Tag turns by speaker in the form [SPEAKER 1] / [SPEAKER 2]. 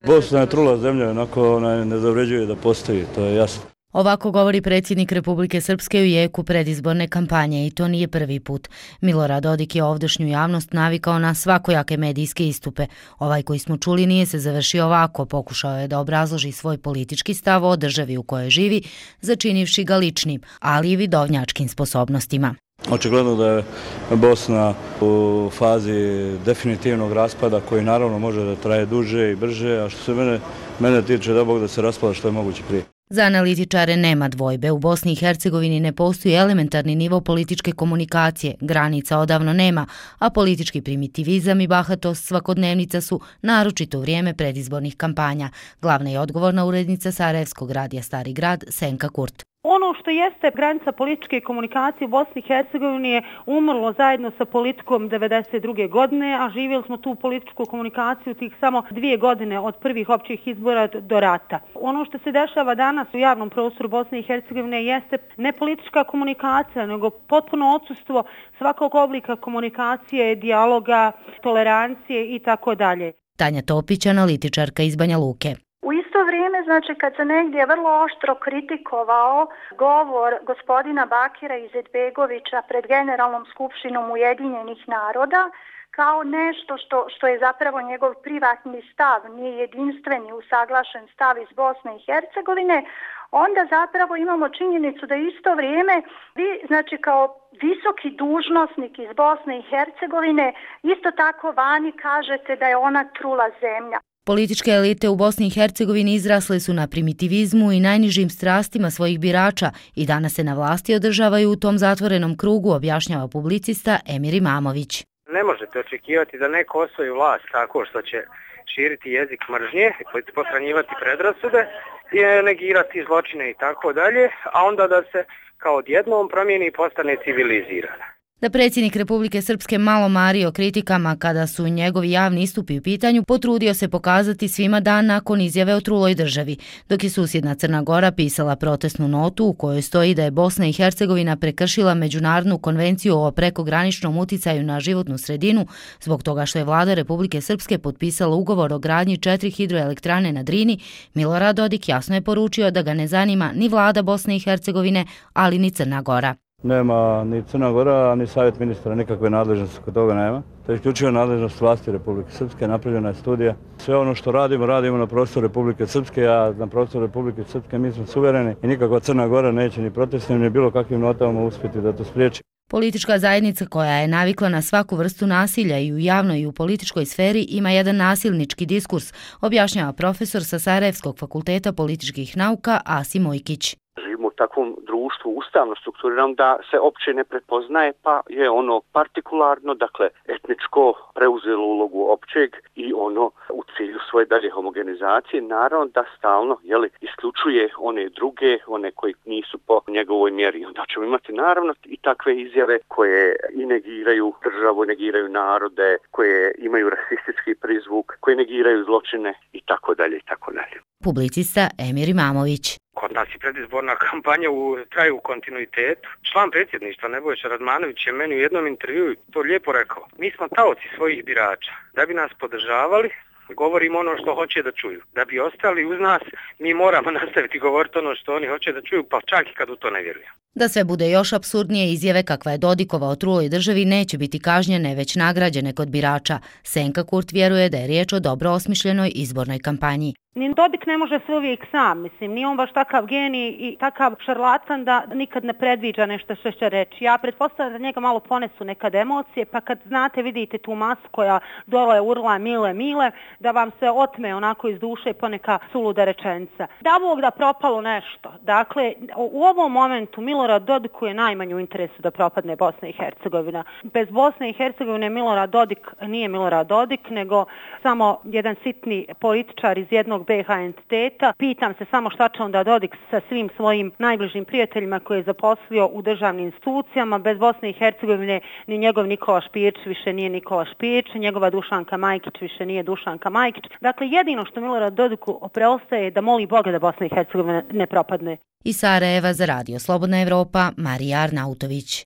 [SPEAKER 1] Bosna je trula zemlja, onako ona ne zavređuje da postoji, to je jasno.
[SPEAKER 2] Ovako govori predsjednik Republike Srpske u jeku predizborne kampanje i to nije prvi put. Milorad Dodik je ovdašnju javnost navikao na svakojake medijske istupe. Ovaj koji smo čuli nije se završio ovako, pokušao je da obrazloži svoj politički stav o državi u kojoj živi, začinivši ga ličnim, ali i vidovnjačkim sposobnostima.
[SPEAKER 1] Očigledno da je Bosna u fazi definitivnog raspada koji naravno može da traje duže i brže, a što se mene tiče da Bog da se raspada što je moguće prije.
[SPEAKER 2] Za analitičare nema dvojbe. U Bosni i Hercegovini ne postoji elementarni nivo političke komunikacije, granica odavno nema, a politički primitivizam i bahatost svakodnevnica su naročito u vrijeme predizbornih kampanja. Glavna je odgovorna urednica Sarajevskog radija Stari grad Senka Kurt.
[SPEAKER 3] Ono što jeste granica političke komunikacije u Bosni i Hercegovini je umrlo zajedno sa politikom 1992. godine, a živjeli smo tu političku komunikaciju tih samo 2 godine od prvih općih izbora do rata. Ono što se dešava danas u javnom prostoru Bosne i Hercegovine jeste ne politička komunikacija, nego potpuno odsustvo svakog oblika komunikacije, dijaloga, tolerancije i tako dalje.
[SPEAKER 2] Tanja Topić, analitičarka iz Banja Luke.
[SPEAKER 4] U isto vrijeme, znači, kad se negdje vrlo oštro kritikovao govor gospodina Bakira Izetbegovića pred Generalnom skupštinom Ujedinjenih naroda, kao nešto što je zapravo njegov privatni stav, nije jedinstveni usaglašen stav iz Bosne i Hercegovine, onda zapravo imamo činjenicu da isto vrijeme vi, znači, kao visoki dužnosnik iz Bosne i Hercegovine, isto tako vani kažete da je ona trula zemlja.
[SPEAKER 2] Političke elite u Bosni i Hercegovini izrasle su na primitivizmu i najnižim strastima svojih birača i danas se na vlasti održavaju u tom zatvorenom krugu, objašnjava publicista Emir Imamović.
[SPEAKER 5] Ne možete očekivati da neko osvoji vlast tako što će širiti jezik mržnje, pohranjivati predrasude i negirati zločine i tako dalje, a onda da se kao odjednom promijeni i postane civilizirana.
[SPEAKER 2] Da predsjednik Republike Srpske malo mari o kritikama kada su njegovi javni istupi u pitanju, potrudio se pokazati svima dan nakon izjave o truloj državi, dok je susjedna Crna Gora pisala protestnu notu u kojoj stoji da je Bosna i Hercegovina prekršila Međunarodnu konvenciju o prekograničnom uticaju na životnu sredinu zbog toga što je vlada Republike Srpske potpisala ugovor o gradnji 4 hidroelektrane na Drini. Milorad Dodik jasno je poručio da ga ne zanima ni vlada Bosne i Hercegovine, ali ni Crna Gora.
[SPEAKER 1] Nema ni Crna Gora, ni savjet ministra, nikakve nadležnosti kod toga nema. To je isključivo nadležnost vlasti Republike Srpske, napravljena je studija. Sve ono što radimo na prostoru Republike Srpske, a na prostoru Republike Srpske mi smo suvereni i nikakva Crna Gora neće ni protestnim ni bilo kakvim notama uspjeti da to spriječi.
[SPEAKER 2] Politička zajednica koja je navikla na svaku vrstu nasilja i u javnoj i u političkoj sferi ima jedan nasilnički diskurs, objašnjava profesor sa Sarajevskog fakulteta političkih nauka Asim Ojkić.
[SPEAKER 6] Živimo u takvom društvu ustavno strukturiranom da se opće ne prepoznaje, pa je ono partikularno, dakle etničko preuzelo ulogu općeg i ono u cilju svoje dalje homogenizacije, naravno da stalno isključuje one druge, one koji nisu po njegovoj mjeri. Onda ćemo imati naravno i takve izjave koje i negiraju državu, negiraju narode, koje imaju rasistički prizvuk, koje negiraju zločine i tako dalje i tako dalje.
[SPEAKER 2] Publicista Emir Imamović.
[SPEAKER 5] Kod nas je predizborna kampanja traju u kontinuitetu. Član predsjedništva Nebojša Radmanović je meni u jednom intervjuu to lijepo rekao. Mi smo taoci svojih birača. Da bi nas podržavali, govorimo ono što hoće da čuju. Da bi ostali uz nas, mi moramo nastaviti govoriti ono što oni hoće da čuju, pa čak i kad u to ne vjeruju.
[SPEAKER 2] Da sve bude još apsurdnije, izjave kakva je Dodikova o truloj državi neće biti kažnjene, već nagrađene kod birača. Senka Kurt vjeruje da je riječ o dobro osmišljenoj izbornoj kampanji.
[SPEAKER 3] Ni Dodik ne može sve uvijek sam, mislim, nije on baš takav genij i takav šarlatan da nikad ne predviđa nešto što će reći. Ja pretpostavljam da njega malo ponesu nekad emocije, pa kad znate, vidite tu masu koja dole urla mile, da vam se otme onako iz duše poneka suluda rečenica. Da Bog da propalo nešto. Dakle, u ovom momentu Milorad Dodiku je najmanje u interesu da propadne Bosna i Hercegovina. Bez Bosne i Hercegovine Milorad Dodik nije Milorad Dodik, nego samo jedan sitni političar iz jednog BiH entiteta. Pitam se samo šta će onda Dodik sa svim svojim najbližim prijateljima koje je zaposlio u državnim institucijama. Bez Bosne i Hercegovine ni njegov Nikola Špijić više nije Nikola Špijić, njegova Dušanka Majkić više nije Dušanka Majkić. Dakle, jedino što Milorad Dodiku preostaje je da moli Boga da Bosna i Hercegovina ne propadne.
[SPEAKER 2] Iz Sarajeva za Radio Slobodna Evropa, Marija Arnautović.